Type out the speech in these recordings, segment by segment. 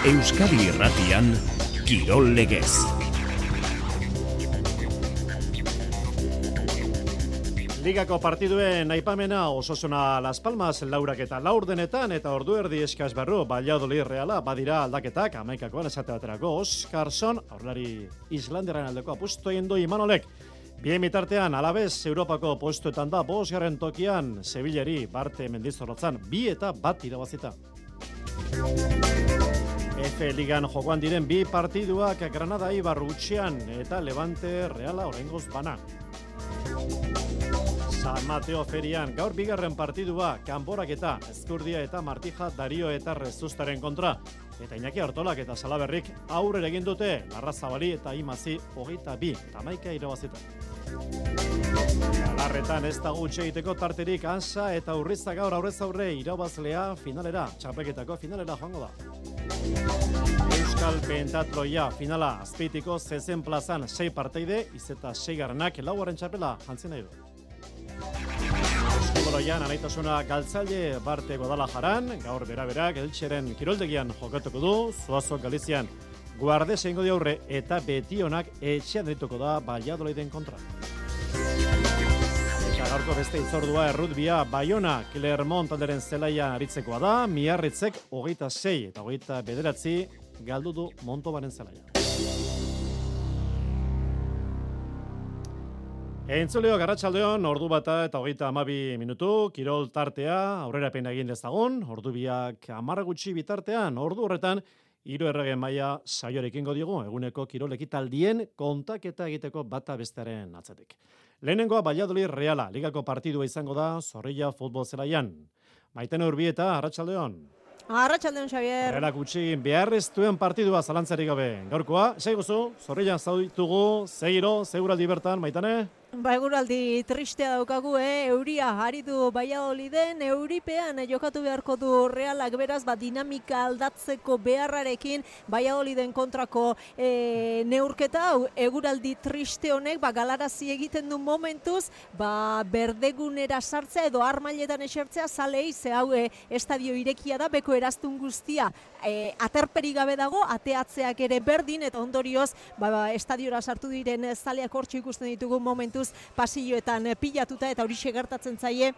Euskadi Irratian, Kirol Legez. Ligako partiduen aipamena Osasuna Las Palmas laurak eta laurdenetan eta ordu erdi eskaz barru Valladolid Reala badira aldaketak amaikakoan esate baterako Oskarson aurlari Islanderaren aldeko apustu egin du Imanolek. Bien bitartean Alabez Europako postuetan da 5. tokian Sevillari Barte Mendizorrotzan 2-1 irabazita. F Ligan jokoan diren 2 partiduak Granada Eibar hutsean eta Levante Reala oraingoz bana. San Mateo ferian gaur 2. partidua Kanporaketa Ezkurdia eta Martija Dario eta Rezustaren kontra. Eta Iñaki Artolak eta Salaberrik aurrera egin dute Larrazabali eta Imazi 22 11 irabazita. Galarretan ez da gutxe egiteko tarterik Ansa eta Urriza gaur aurrez aurre irabazlea finalera, txapelketako finalera joango da. Euskal Pentatloia finala Azpeitiko zezen plazan 6 parteide, izeta 6garrenak 4. txapela jantzien nahi du. Eskubaloian anaitasuna galtzaile Barte Guadalajaran, gaur beraberak Eltxeren kiroldegian jokatuko du, Zuazo Galizian Guardes egingo di aurre eta Betionak etxean dituko da Valladoliden kontra. Eta gaurko beste itzordua errutbia Bayona Clermont talderen zelaia aritzekoa da, Miarritzek 26 eta 29 galdu du Montobaren zelaia. Entzuleo Garratxaldeon, ordu bata eta 32 minutu, kirol tartea, aurrerapen egin dezagun, ordu biak 10 gutxi bitartean, ordu horretan, 3 erregen maila saiorekingo diogu, eguneko kirol ekitaldien kontaketa egiteko bata bestearen atzetik. Lehenengoa Valladolid Reala, ligako partidua izango da, Zorrilla futbol zelaian. Maitene Urbieta, Arratxaldeon. Arratxaldeon, Xavier. Realak utxi beharreztuen partidua zalantzarik gabe. Gaurkoa, seiguzu, Zorrillan zauditugu, zegiro, seguraldi bertan, Maitane? Eguraldi tristea daukagu, euria aritu Valladoliden, euripean jokatu beharko du Realak, beraz, dinamika aldatzeko beharrarekin Valladoliden kontrako neurketa, eguraldi triste honek, galarazi egiten du momentuz, berdegunera sartzea edo armailetan esertzea, zalei, ze hau estadio irekia da, beko eraztun guztia, aterperi gabe dago, ateatzeak ere berdin, eta ondorioz, estadiora sartu diren zaleak hortxo ikusten ditugu momentuz, pasilloetan pilatuta eta horixe gertatzen zaie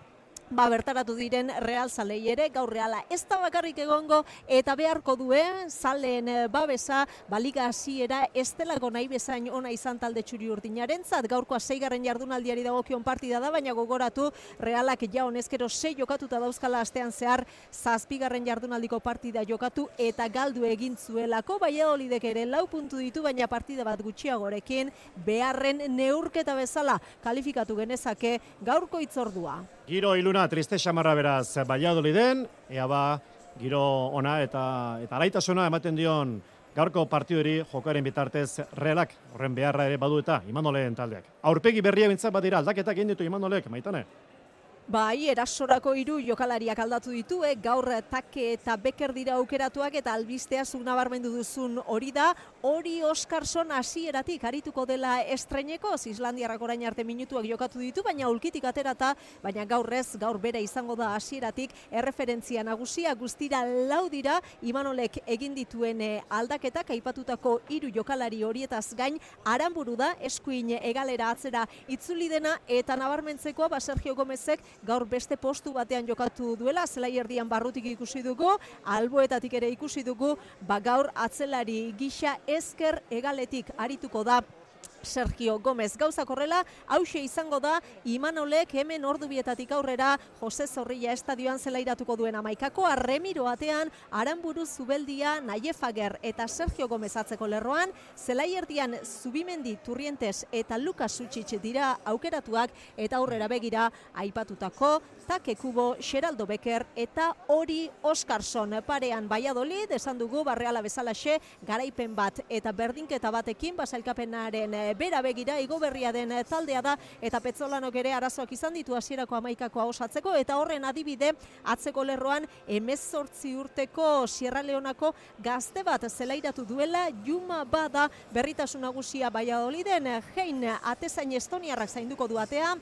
bertaratu diren Real zalei ere, gaur Reala ez da bakarrik egongo eta beharko duen zaleen babesa liga hasiera ez delako nahi bezain ona izan talde txuri urdinarentzat. Gaurkoa 6. jardunaldiari dagokion partida da, baina gogoratu Realak ja honezkero 6 jokatuta dauzkala astean zehar 7. jardunaldiko partida jokatu eta galdu egin zuelako. Valladolidek ere 4 puntu ditu, baina partida bat gutxiagorekin beharren neurketa bezala kalifikatu genezake gaurko hitzordua. Giro iluna, triste xamarra beraz Valladoliden, giro ona eta alaitasuna ematen dion gaurko partiduri jokoaren bitartez Realak, horren beharra ere badu eta Imanolen taldeak. Aurpegi berria bintzat badira aldaketak egin ditu Imanolek, Maitane? Erasorako 3 jokalariak aldatu ditu, gaur Take eta Becker dira aukeratuak eta albistea zuk nabarmendu duzun hori da, hori Oskarson hasieratik arituko dela estreineko, Islandiarrak orain arte minutuak jokatu ditu, baina ulkitik aterata, baina gaur bera izango da hasieratik erreferentzia nagusia, guztira 4 dira, Imanolek egin dituen aldaketak, aipatutako 3 jokalari horietaz gain, Aranburu da, eskuin egalera atzera itzuli dena, eta nabarmentzekoa Sergio Gomezek gaur beste postu batean jokatu duela, zelai erdian barrutik ikusi dugu, alboetatik ere ikusi dugu, gaur atzelari gisa ezker egaletik arituko da Sergio Gomez. Gauzak horrela, hauxe izango da, Imanolek hemen ordubietatik aurrera Jose Zorrilla estadioan zelairatuko duen 11koa, Remiro atean, Aranburu, Zubeldia, Nayefager eta Sergio Gomez atzeko lerroan, zelai erdian Zubimendi, Turrientes eta Lukas Sutsic dira aukeratuak, eta aurrera begira aipatutako Take Kubo, Xeraldo Becker eta hori Oskarson parean Valladolid, esan dugu Reala bezalaxe, garaipen bat eta berdinketa batekin, basailkapenaren bera begira, igo berria den taldea da, eta Petzolanok ere arazoak izan ditu hasierako 11koa osatzeko, eta horren adibide atzeko lerroan 18 urteko Sierra Leonako gazte bat zelairatu duela, Juma bada berritasun nagusia Valladoliden, Hein atezain estoniarrak zainduko du atea,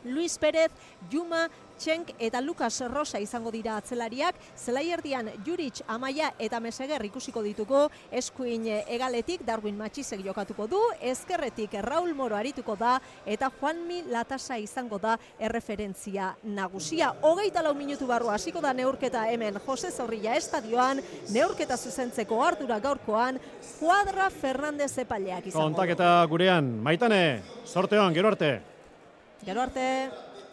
Luis Pérez, Juma, Txenk eta Lucas Rosa izango dira atzelariak, zelaierdian Juric, Amaia eta Meseguer ikusiko dituko, eskuin hegaletik Darwin Matxisek jokatuko du, ezkerretik Raul Moro arituko da, eta Juanmi Latasa izango da erreferentzia nagusia. 24 minutu barru hasiko da neurketa hemen Jose Zorrilla estadioan, neurketa zuzentzeko ardura gaurkoan, Cuadra Fernandez epaileak izango. Kontaketa gurean, Maitane, sorte hon, gero arte. Gero arte.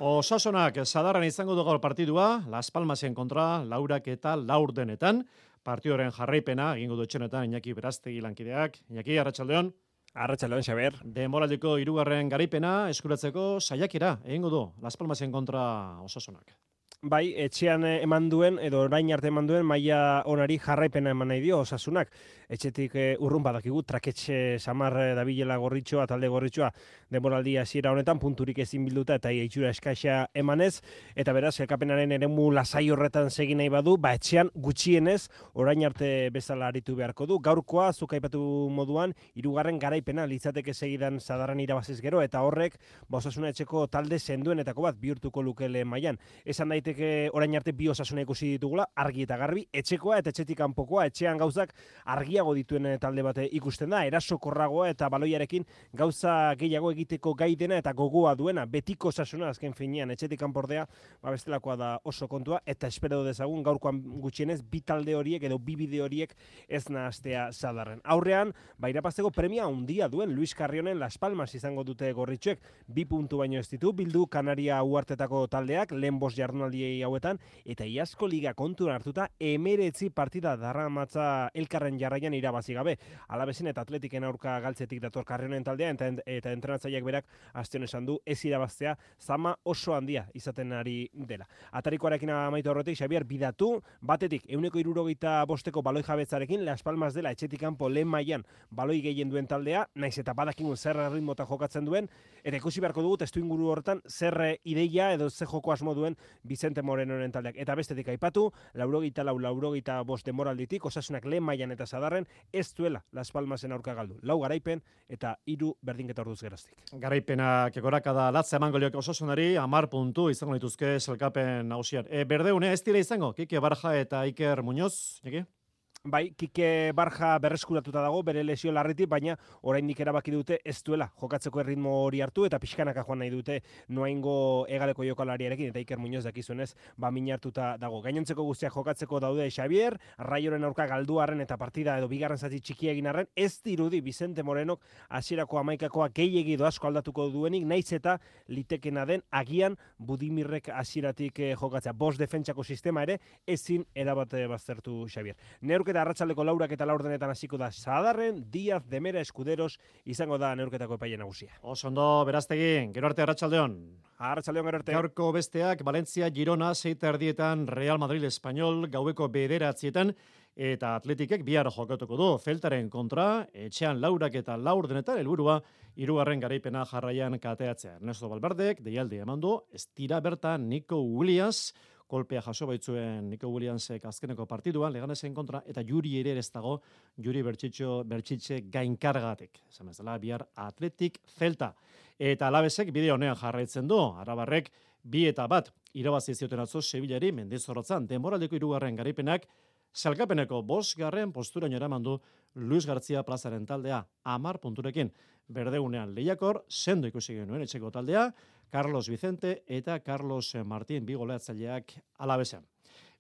Osasunak Sadarran izango du gaur partidua, Las Palmasen kontra, laurak eta laurdenetan. Partidoren jarraipena, egingo du etxenetan, Iñaki Berastegi lankideak. Iñaki, arratsaldeon. Arratsaldeon, Xabier. Denboraldiko 3. garaipena eskuratzeko saiakera egingo du Las Palmasen kontra Osasunak. Bai, etxean eman duen, edo orain arte eman duen, maila onari jarraipena eman nahi dio Osasunak. Etxetik urrun badakigu, traketxe samar dabilela gorritxoa, talde gorritxoa, denboraldia hasiera honetan, punturik ezin bilduta eta itxura eskaxa emanez, eta beraz, elkapenaren eremu lasai horretan segin nahi badu, etxean gutxienez, orain arte bezala aritu beharko du. Gaurkoa, zuk aipatu moduan, 3. garaipena litzateke segidan Sadarran irabaziz gero, eta horrek, Osasuna etxeko talde senduenetako bat bihurtuko lukele mailan. Esan daiteke orain arte bi Osasuna ikusi ditugula, argi eta garbi, etxekoa eta etxetik kanpokoa, etxean gauzak argiago dituen talde bate ikusten da, erasokorragoa eta baloiarekin gauza gehiago egiteko gai dena eta gogoa duena, betiko Osasuna azken finean, etxetik kanpordea, bestelakoa da oso kontua, eta espero dezagun gaurkoan gutxienez, bi talde horiek edo bi bide horiek ez nahastea Sadarren. Aurrean, irabazteko premia handia duen Luis Carrionen Las Palmas izango dute gorritxoek, 2 puntu baino ez ditu, bildu Kanaria uhartetako taldeak, lehen 5 jardunaldiei hauetan, eta Iazko Liga kontuan hartuta, 19 partida darramatza elkarren jarraian irabazi gabe. Alabezen eta Atletiken aurka galtzetik dator Carrionen taldea, eta entrenatzaileak berak astion esan du ez irabaztea zama oso handia izaten ari dela. Atarikoarekin amaitu horretik, Xabier, bidatu, batetik 165 baloi jabetzarekin Las Palmas dela etxetik kanpo lehen mailan baloi gehien duen taldea, naiz eta badakigun zer ritmota jokatzen duen, eta ikusi beharko dugu testuinguru horretan zer ideia edo zer joko asmo duen Vicente Morenoren taldeak. Eta bestetik aipatu, 84-85 denboralditik, Osasunak lehen mailan eta Sadarren ez duela Las Palmasen aurka galdu. 4 garaipen eta 3 berdinketa orduz geroztik. Garaipenak gorakada latza emango lioke Osasunari, 10 puntu izango dituzke sailkapen nagusian. Berdeune ez dira izango, Kike Barja eta Iker Muñoz, Iñaki? Bai, Kike Barja berreskuratuta dago, bere lesio larritik, baina oraindik erabaki dute ez duela jokatzeko erritmo hori hartu, eta pixkanaka joan nahi dute noaingo hegaleko jokalariarekin, eta Iker Muñoz dakizuenez, minartuta dago. Gainontzeko guztiak jokatzeko daude Xavier, Raioren aurka galduarren eta partida edo bigarren zati txiki egin arren, ez dirudi Vicente Morenok hasierako 11koa gehiegi edo asko aldatuko duenik, naiz eta litekena den agian Budimirrek hasieratik jokatzea. 5 defentsako sistema ere ezin erabate baztertu Xavier. Neurketa arratsaldeko 4 eta 4 hasiko da Sadarren, Díaz, Demera, Escuderos izango da neurketako epaile nagusia. Oso ondo, Berastegi, gero arte arratsaldeon. Arratsaldeon gero arte. Gaurko besteak Valencia, Girona, 6:30 Real Madrid Espanyol, gaueko 9:00 eta Atletikek bihar jokatuko du Celtaren kontra, etxean 4 eta 4 helburua 3. garaipena jarraian kateatzea. Ernesto Valverdek deialdi eman du, ez dira bertan Nico Williams, kolpea jaso baitzuen Nico Williamsek azkeneko partiduan, Leganesen kontra, eta Juri ere ez dago, Juri Bertxitxe gainkargatik. Esan bezala, bihar Atletik Celta. Eta Alabesek bide honean jarraitzen du, Arabarrek 2-1 irabazi zioten atzo Sevillari Mendizorrotzan, denboraldeko 3. garaipenak, sailkapeneko 5. posturaino eraman du Luis García plazaren taldea 10 punturekin. Berdeunean lehiakor, sendo ikusi genuen etxeko taldea, Carlos Vicente eta Carlos Martín bi goleatzaileak Alabesean.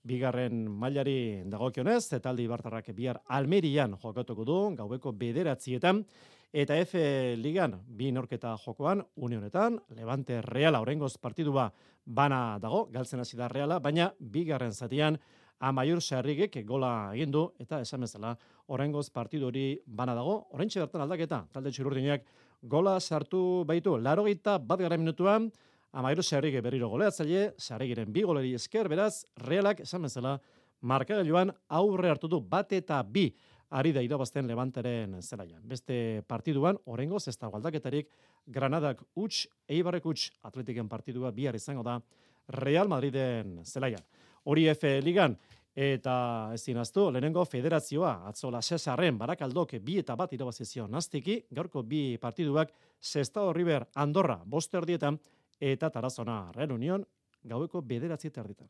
Bigarren mailari dagokionez, talde ibartarrak bihar Almerian jokatuko du, gaueko 9:00 eta F Ligan 2 neurketa jokoan, Unionetan, Levante Reala oraingoz partidua bana dago, galtzen hasi da Reala, baina bigarren zatian Amaiur Sarrigek gola egin du eta esan bezala oraingoz partidu hori bana dago. Oraintxe bertan aldaketa, talde txururdinak gola sartu baitu 81. minutuan, Amaiur Sarrige berriro goleatzaile, Sarrigiren 2 goleri esker, beraz Realak esan bezala markagailuan aurre hartu du 1-2 ari da irabazten Levanteren zelaian. Beste partiduan oraingoz ez dago aldaketarik, Granadak huts, Eibarrek huts, Atletiken partidua bihar izango da Real Madriden zelaian. Hori F Ligan, eta ezin aztu, lehenengo federazioa, atzola Cesarren, Barakaldok 2-1 irabazi zion Nastiki, gaurko 2 partiduak, Sestao River Andorra 5:30 eta Tarazona Real Union gaueko 9:30.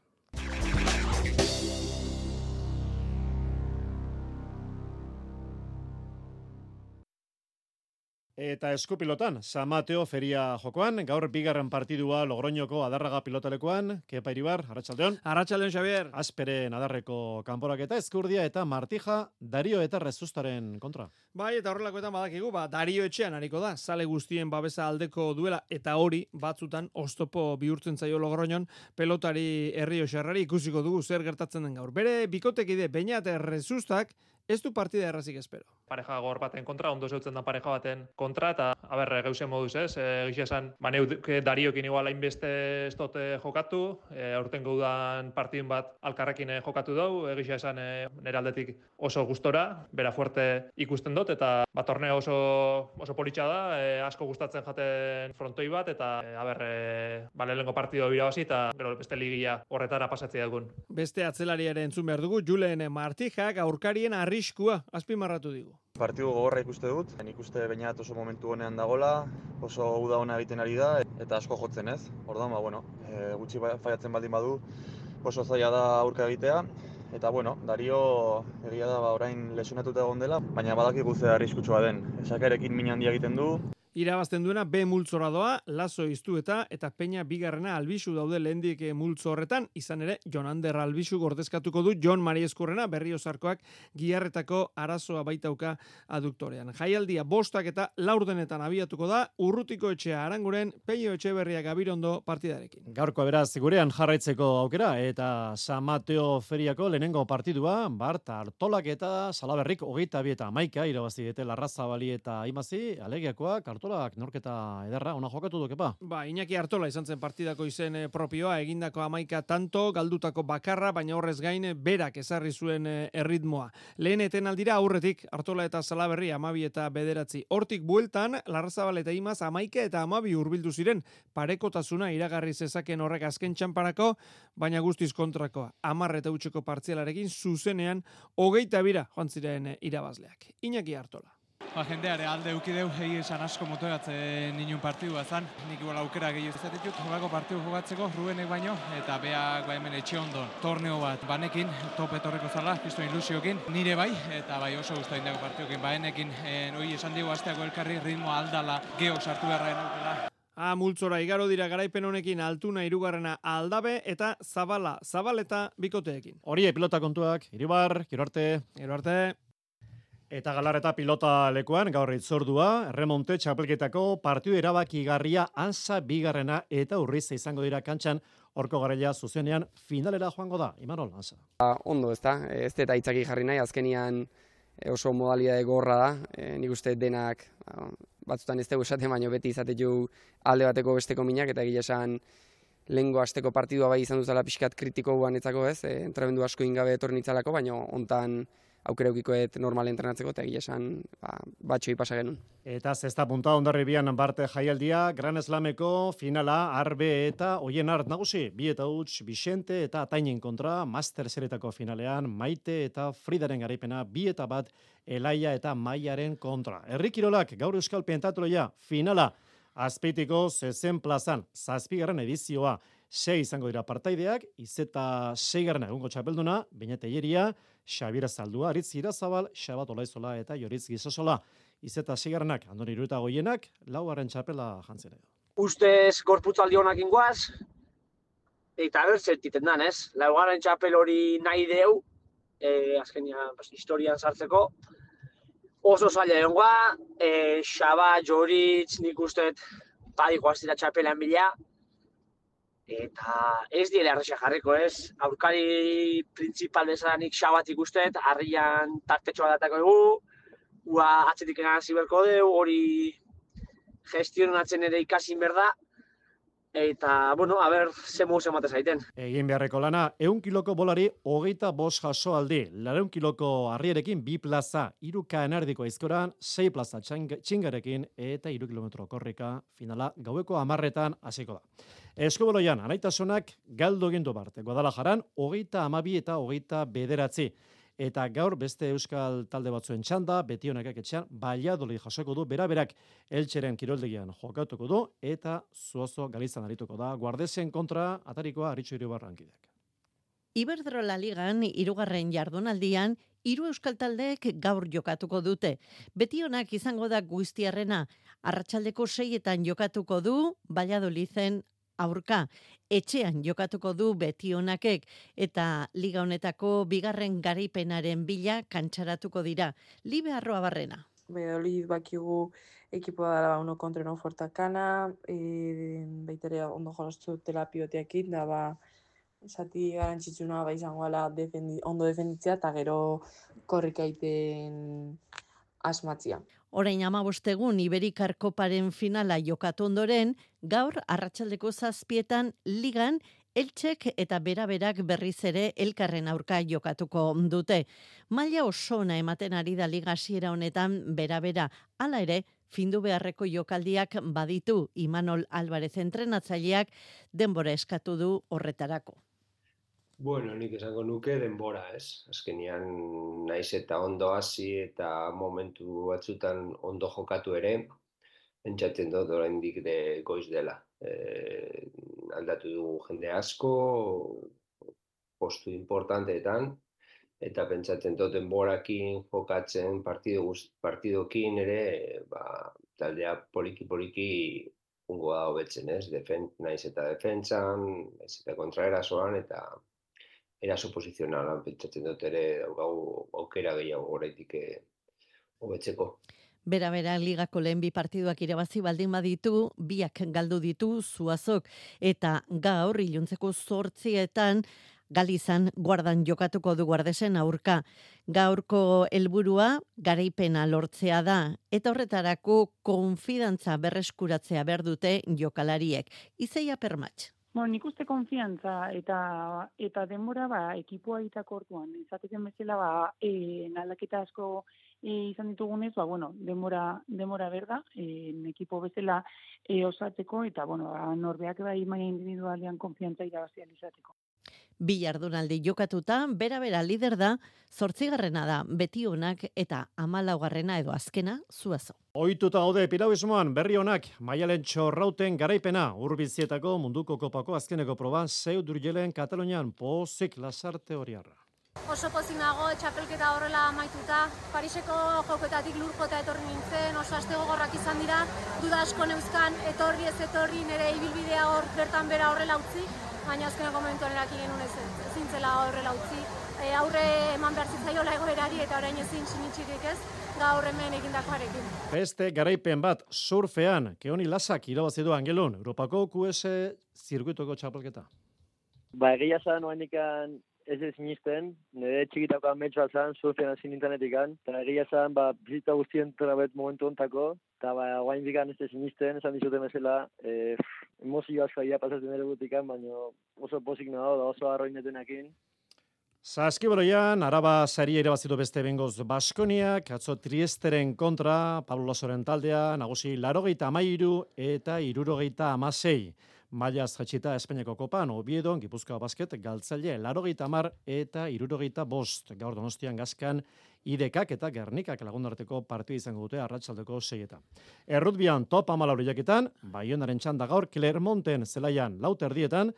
Eta eskupilotan, San Mateo feria jokoan, gaur bigarren partidua Logroñoko Adarraga pilotalekoan, Kepa Iribar, arratsaldeon. Arratsaldeon, Xavier. Asperen Adarreko kanporaketa Eskurdia eta Martija, Dario eta Rezustaren kontra. Bai, eta horrelakoetan badakigu, Dario etxean hariko da, zale guztien babesa aldeko duela, eta hori batzutan oztopo bihurtzen zaio Logroñon, pelotari Errioxarrari ikusiko dugu zer gertatzen den gaur. Bere bikotekide Beñat Rezustak ez du partida errazik espero. Pareja gor baten kontra, ondo zeutzen da pareja baten kontra, eta geuzen moduz ez, gisa esan, Dariokin igual hainbeste ez dut jokatu, aurten gaudan partidun bat alkarrekin jokatu dugu, gisa esan nire aldetik oso gustora, bera fuerte ikusten dut, eta torneo oso politxa da, asko gustatzen jaten frontoi bat, eta lehenengo partido irabazi, eta gero beste ligia horretara pasatzea dugun. Beste atzelariaren entzun behar dugu, Julen Martijak aurkarien arriskua azpimarratu digu. Partidu gogorra ikuste dut, nik uste Beñat oso momentu honean dagola, oso uda ona egiten ari da, eta asko jotzen ez. Orduan, gutxi faiatzen baldin badu, oso zaila da aurka egitea. Eta Dario egia da orain lesionatuta egon dela, baina badakigu ze arriskutsua den. Esakarekin min handia egiten du. Irabazten duena B multzora doa, Lazo Iztueta eta Peña bigarrena Albisu daude lehendik multzo horretan, izan ere Jonander Albisu gordezkatuko du Jon Marieskurrena Berriozarkoak giharretako arazoa baitauka aduktorean. Jaialdia 5 eta 4 abiatuko da, Urrutiko etxea Aranguren, Peio Etxeberria Gabirondo partidarekin. Gaurko beraz gurean jarraitzeko aukera eta San Mateo feriako lehenengo partidua, Bart Artolak eta Salaberrik 22 eta 11 irabazi dute Larrazabali eta Aimazi, Alegiakoak Artolak norketa ederra, ona jokatu du Kepa. Iñaki Artola izan zen partidako izen propioa, egindako 11 tanto, galdutako bakarra, baina horrez gain berak ezarri zuen erritmoa. Lehen etenaldira aurretik Artola eta Salaberri 12 eta 9. Hortik bueltan, Larrazabal eta Imaz 11 eta 12 hurbildu ziren, parekotasuna iragarri zezaken horrek azken txanparako, baina guztiz kontrakoa. 10 eta utxeko partzialarekin zuzenean 22 joan ziren irabazleak. Iñaki Artola. Jendeare alde eukideu, esan asko motoratzen ninun partidua zan. Nik igual aukera gehiago izatitut, horako partidu jokatzeko, Rubenek baino, eta beak hemen etxe ondo. Torneo bat banekin, top etorreko zala, kriston ilusiokin, nire bai, eta bai oso guztua indako partidukin. Baenekin, hori esan digu asteako elkarri ritmoa aldala, geok sartu beharra enaukela. Multzora igaro dira garaipen honekin Altuna 3. Aldabe eta Zabaleta bikoteekin. Hori pilota kontuak, Iribar, gero arte. Eta Galarreta pilota lekuan, gaur itzordua, Erremonte txapelketako partidu erabakigarria Ansa 2. eta Urriz izango dira kantxan, horko garaia zuzenean finalera joango da. Imanol, Ansa. Ondo, ez eta itzaki jarri nahi, azkenian oso modalidade gorra da, nik uste denak batzutan ez dugu esaten, baino beti izatetu alde bateko besteko minak, eta egia esan lehengo asteko partidua bai izan duzala pixkat kritiko guanetzako ez, entrebendu asko ingabe etorri nitzalako, baino hontan aukera eukikoet normal entrenatzeko, eta egia esan batxoi pasa genuen. Eta zesta punta Hondarribian Barte jaialdia, Gran Slameko finala, Arbe eta Oienart nagusi, 2 eta huts, Vicente eta Atainen kontra, Master Seretako finalean, Maite eta Fridaren garaipena, 2 eta 1, Elaia eta Maiaren kontra. Herri Kirolak, gaur Euskal Pentatloia, finala, Azpeitiko 60 plazan, 7. edizioa, 6 izango dira partaideak, Izeta 6. egungo txapelduna, Beñat Eieria, Xabier Zaldua, Aritz Irazabal, Xabat Olaizola eta Joritz Gizosola. Izeta 6. Andoni Irueta Goienak, 4. txapela jantzera. Ustez gorputzaldi honak ingoaz, eta bertzertiten dan, ez? 4. txapel hori nahi deu, azkenian historian sartzeko. Oso zaila dengoa, Xabat, Joritz, nik usteet badiko aztira txapelan bila, eta ez diele arrexak jarriko, ez? Aurkari printzipal bezalanik Xabat ikusteet, harrian tartetxoa datako dugu, atzetik egan ziberko deu, hori gestionatzen ere ikasin berda, eta, a ber, ze moz emate zaiten. Egin beharreko lana, 100 kiloko bolari 25 jaso aldi, 200 kiloko harrierekin 2 plaza, 3 kaenardiko aizkoran, 6 plaza txingarekin, eta 3 kilometro korrika, finala gaueko 10 hasiko da. Eskuboloian, anaitasunak galdu egindu Bart, Guadalajaran, 32 eta 29. eta gaur beste euskal talde batzuen txanda, Betionakak etxean, Valladolid jasoko du, beraberak Eltxeren kiroldegian jokatuko du, eta Zuazo Galizan arituko da, Guardesen kontra atarikoa Aritxo Iribarrankideak. Iberdrola Ligan, 3. jardunaldian, 3 euskal taldeek gaur jokatuko dute. Betionak izango da Guiztiarrena, arratsaldeko 6etan jokatuko du Valladoliden aurka. Etxean jokatuko du Betionakek eta liga honetako 2. garaipenaren bila kantxaratuko dira. Libe Arroabarrena. Valladolid bakigu ekipoa dara uno kontra no fortakana, baitere ondo jolastu dela pivoteekin, da zati garantzitsuna izango ala ondo defenditzea eta gero korrika egiten asmatzia. Orain 15 egun Iberikar Koparen finala jokatu ondoren, gaur arratsaldeko 7etan ligan Eltxek eta beraberak berriz ere elkarren aurka jokatuko dute. Maila oso ona ematen ari da liga hasiera honetan berabera. Hala ere, findu beharreko jokaldiak baditu Imanol Alvarez entrenatzaileak denbora eskatu du horretarako. Bueno, nik esango nuke denbora, ez? Azkenean naiz eta ondo hasi eta momentu batzutan ondo jokatu ere, pentsatzen dut oraindik goiz dela. Aldatu dugu jende asko, postu importanteetan, eta pentsatzen dut denborakin jokatzen partidokin ere, taldea poliki ungo da hobetzen, ez? Naiz eta defentsan, naiz eta kontraerasoan, eta eraso posizionalan pentsatzen dut ere daukagu aukera gehiago oraitik hobetzeko. Bera ligako lehen 2 partiduak irabazi baldin baditu, 2 galdu ditu Zuazok eta gaur iluntzeko 8etan Galizan Guardan jokatuko du Guardesen aurka. Gaurko helburua garaipena lortzea da eta horretarako konfidantza berreskuratzea behar dute jokalariek. Izeia Permatx. Nik uste konfiantza eta denbora ekipoa itako orduan. Izateken bezala aldaketa asko izan ditugunez, denbora berda, ekipo bezala osatzeko eta norbeak maila individualean konfiantza irabazian izateko. 2 jardunaldi jokatuta, bera lider da, 8. da Betionak eta 14. edo azkena Zuazo. Ohituta gaude piragüismoan berri onak, Maialen Txorrauten garaipena, Urbizietako munduko kopako azkeneko proba, Seu d'Urgelen Katalunian, pozik Lasarte Oriarra. Oso pozik nago, txapelketa horrela amaituta, Pariseko jokoetatik lurjota etorri nintzen, oso aste gogorrak izan dira, duda asko neuzkan, etorri ez etorri, nire ibilbidea hor bertan bera horrela utzi, baina azkeneko momentuan eraki genuen ezin zela horrela utzi. Aurre eman behar zitzaiola egoerari eta orain ezin sinitxirik ez, gaur hemen egindakoarekin. Beste garaipen bat surfean, Keoni Lasak irabazi du Angelun, Europako QS zirkuitoko txapelketa. Egia zan, oainikan ez sinisten, nire txikitako ametxoa zan, surfean hasi nintzenetikan, eta egia zan, bizita guztien trabet momentu ontako, eta oainikan ez sinisten, esan dizuten bezala, emozio asko aia pasatzen ere gutikan, baina oso pozik nago da oso arroinetenakin. Saskiboloian, Araba saria irabazitu beste bengoz Baskoniak, atzo Triesteren kontra, Pablo Lasoren taldea, nagusi 83 eta 76. Mailaz jatxita Espainiako kopan, Obiedon, Gipuzkoa Basket, Galtzaile, 80 eta 75. Gaur Donostian Gazkan, Idekak eta Gernikak lagundarteko partidu izango dute arratsaldeko 6etan. Errutbian top 14 lehiaketan, Baionaren txanda gaur Clermonten zelaian 4:00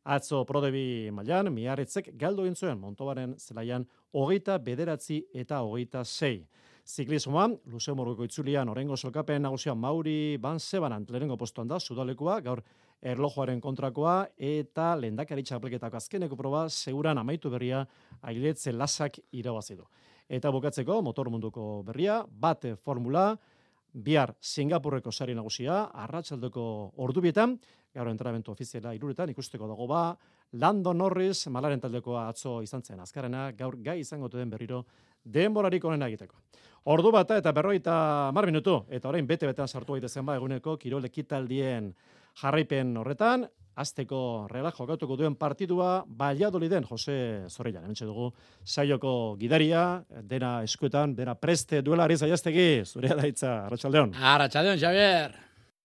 atzo Prodebi mailan Miarritzek galdu egin zuen Montobaren zelaian 29 eta 26. Ziklismoan, Luxemburgoko itzulian orengo solkapen nagusia Mauri Van Sebanan lehenengo postuan da, sudalekoa, gaur erlojuaren kontrakoa eta lehendakari txapelketako azkeneko proba seguran amaitu berria Ailetze Lasak irabazi du. Eta bukatzeko motor munduko berria, bate formula, bihar Singapurreko sari nagusia, arratsaldeko ordubietan, gaur entrenamendu ofiziala 3:00 ikusteko dago Lando Norris, Malaren taldekoa atzo izan zen azkarrena, gaur gai izango den berriro denborarik onena egiteko. Ordu bata eta 50 minutu, eta orain bete-betean sartu gaitezen eguneko kirol ekitaldien jarraipen horretan, azteko Realak jokatuko duen partidua Valladoliden Jose Zorrilla. Hementxe dugu saioko gidaria, dena eskuetan, dena preste duela Ariz Aiastegi, zurea da hitza, arratsaldeon. Arratsaldeon, Xavier.